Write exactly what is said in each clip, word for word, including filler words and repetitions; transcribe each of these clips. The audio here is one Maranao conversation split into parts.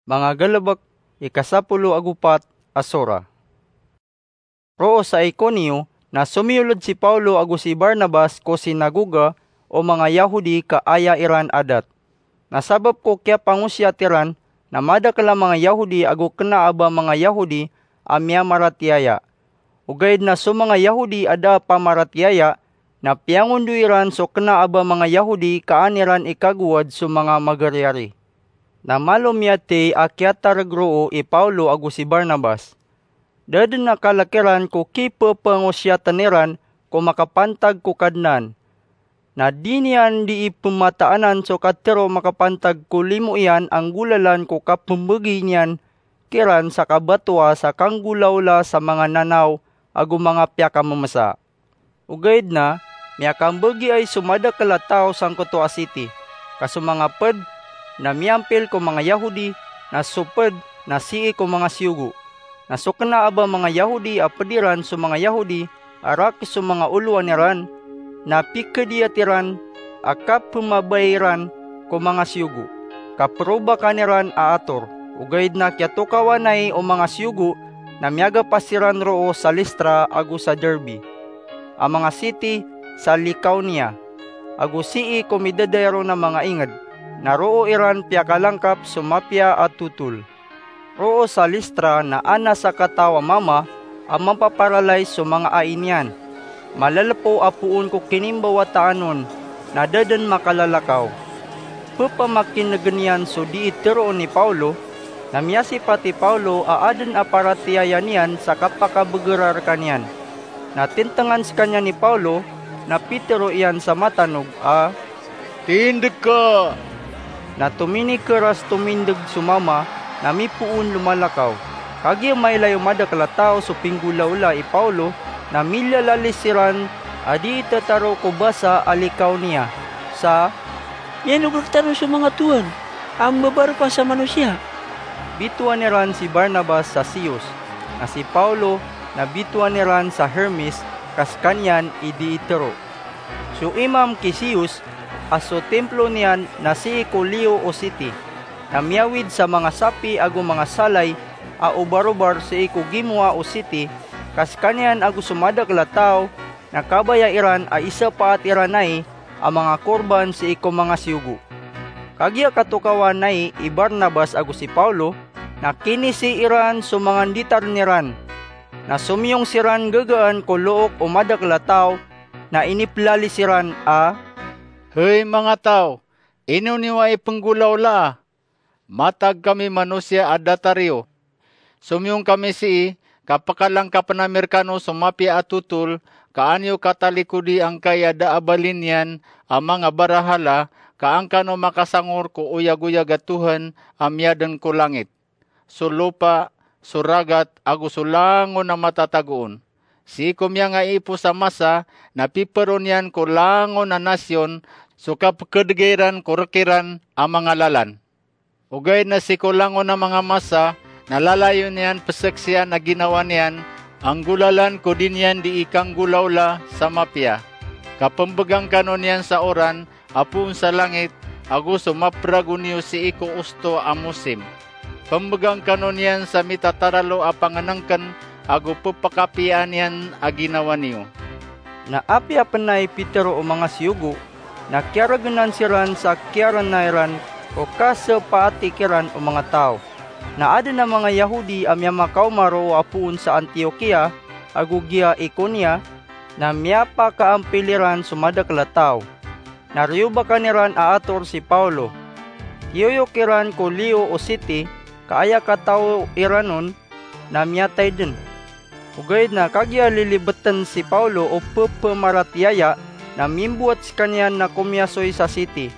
Manga Galbk, ika sapolo ago pat a sura. Roo sa Iconio na somiyolod si Paulo ago si Barnabas ko sinagoga o manga Yahodi ka aya iran adat. Na sabap ko kiyapangosiyat iran na madakl a manga Yahodi ago kna a ba manga Yahodi a miyamaratiyaya. Ogaid na so manga Yahodi a da a pamaratiyaya na piyangondoy iran so kna a ba manga Yahodi ka an iran ikagowad so manga magariyari. Na malo miyathay a kiyatarg roo i Paulo ago si Barnabas. Da dn a kalk iran ko kipphangosiyatn iran ko makapantag ko Kadnan. Na di niyan dii pmataanan so katharo makapantag ko limo iyan a nggolalan ko kapmbgi niyan kiran sa kabatoa sa kanggolawla sa manga nanaw ago manga piyakamamsa. Ogaid na miyakambgiay so madakl a taw sangkoto a siti, ka so manga pd na miyampil ko manga Yahodi, na so pd na sii ko manga siyogo. Na so kna a ba manga Yahodi a pd iran so manga Yahodi a rakes so manga olowan iran, na pikdiyat iran a kapmabaya iran ko manga siyogo, ka probakan iran a ator. Ogaid na kiyatokawanay o manga siyogo na miyagapas iran roo sa Listra ago sa Derbe, a manga siti sa Licaonia, ago sii ko midadayaron a manga ingd, na roo iran piyakalangkap so mapiya a totol. Roo sa Listra na adn a sakataw a mama a mapaparalais so manga ai niyan. Malalpo a poon ko kinimbawataan on, na da dn makalalakaw. Pphamakin'gn iyan so dii tharoon i Paulo, na miyasipat i Paulo a adn a paratiyaya niyan sa kapakabgr rkaniyan. Na tntngan skaniyan i Paulo, na pitharo iyan sa matanog a, "Tindg ka!" Na tominikr a stomindg so mama, na mipoon lomalakaw. Kagiya mailay o madakl a taw so pinggolawla i Paulo, na milalalis siran a dii thatharo ko basa a Licaonia sa, "Miyanog rktano so manga towan a mbabarokan sa manosiya." Bitowan iran si Barnabas sa Zeus, na si Paulo na bitowan iran sa Hermes, ka skaniyan i dii tharo. So imam ki Zeus a so timplo niyan na sii ko Leo o siti, na miyawid sa manga sapi ago manga salay a obarobar sii ko gimowa o siti, ka skaniyan ago so madakl a taw na kabaya iran a isapaat iran ai a manga korban sii ko manga siyogo. Kagiya katokawan ai i Barnabas ago si Paulo, na kinisi iran so manga nditarn iran. Na somiyong siran gagaan ko look o madakl a taw, na iniplalis iran a, "Hay manga taw, ino niyo ai pnggolawlaa? Matag kami manosiya a datar iyo. Somiyong kami sii, ka pkalangkapn ami rkano so mapiya a totol, ka an iyo katalikodi angkai a da a bali niyan a manga barahala, ka an kano makasangor ko oyagoyag a Tohan a miyadn ko langit, so lopa, so ragat, ago so langon a matatago on. Sii ko miyangaiipos a masa na pipharo niyan ko langon a nasiyon so kapkdga iran ko rk iran a manga lalan. Ogaid na sii ko langon a manga masa na lalayon iyan pzaksian a ginawa niyan a nggolalan ko di niyan dii kanggolawla sa mapiya. Ka pmbgan kano niyan sa oran a poon sa langit, ago so mapragon iyo sii ko osto a mosim. Pmbgan kano niyan sa mitataralo a pangnngkn, ago ppakapiyaan iyan a ginawa niyo." Na apiya pn ai pitharo o manga siyogo, na kiyargnan siran sa kiyarna iran ko kasapaati kiran o manga taw. Na adn a manga Yahodi a miyamakaoma roo a poon sa Antiokia ago giya Iconia, na miyapakaampil iran so madakl a taw. Na riyobakan iran a ator si Paulo. Kiyoyok iran ko Lio o siti, ka aya kataw iran on na miyatay dn. Ogaid na kagiya lilibtn si Paulo o pphamaratiaya, na mimbowat skaniyan na komiyasoy sa siti.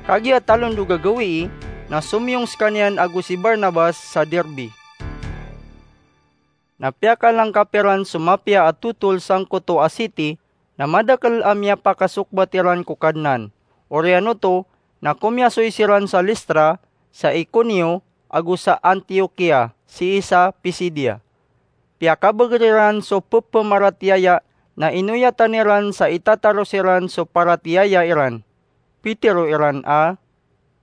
Kagiya talondog a gawii na somiyong skaniyan ago si Barnabas sa Derbe. Na piyakalangkap iran so mapiya a totol sangkoto a siti, na madakl a miyapakasokbat iran ko Kadnan. Oriyan oto na komiyasoy siran sa Listra, sa Iconio, ago sa Antiokia, sii sa Pisidia. Piyakabagr iran so pphamaratiaya, na inoyatan iran sa itataro siran so paratiyaya iran. Pitharo iran a,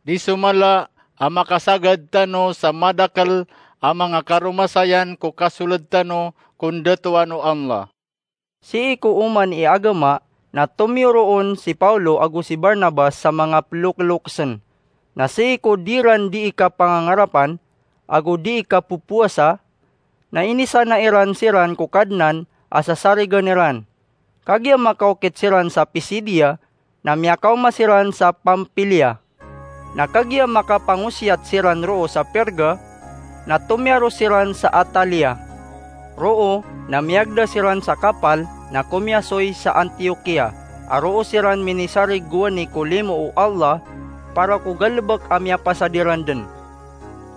"Di so mala a makasagad tano sa madakel a manga karomasayan ko kasoled tano ko ndatoan o Allah. Sii ko oman i agama na tomiyoroon si Paulo ago si Barnabas sa manga pelokelokesen. Na sii ko di ran dii kapangangarapan ago dii kapopowasa, na inisana iran siran ko Kadnan a sasarigen iran. Kagiya makaokit siran sa Pisidia, na miyakaoma siran sa Pampilia. Na kagiya makapangosiyat siran roo sa Perga, na tomiyaro siran sa Atalia. Roo na miyagda siran sa kapal na komiyasoy sa Antiokia, a roo siran minisarig gowani ko limo o Allah para ko galebek a miyapasad iran den.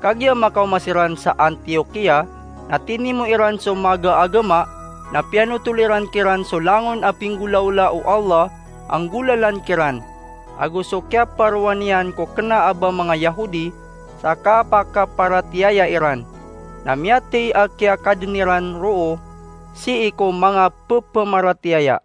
Kagiya makaoma siran sa Antiokia, na tinimo iran so maga a agama, na piyanotol iran kiran so langon a pinggolaola o Allah a nggolalan kiran, ago so kiyaparowa niyan ko kena a ba manga Yahudi sa kapakaparatiyaya iran. Na miyatey a kiyakaden iran roo sii ko manga pepamaratiyaya.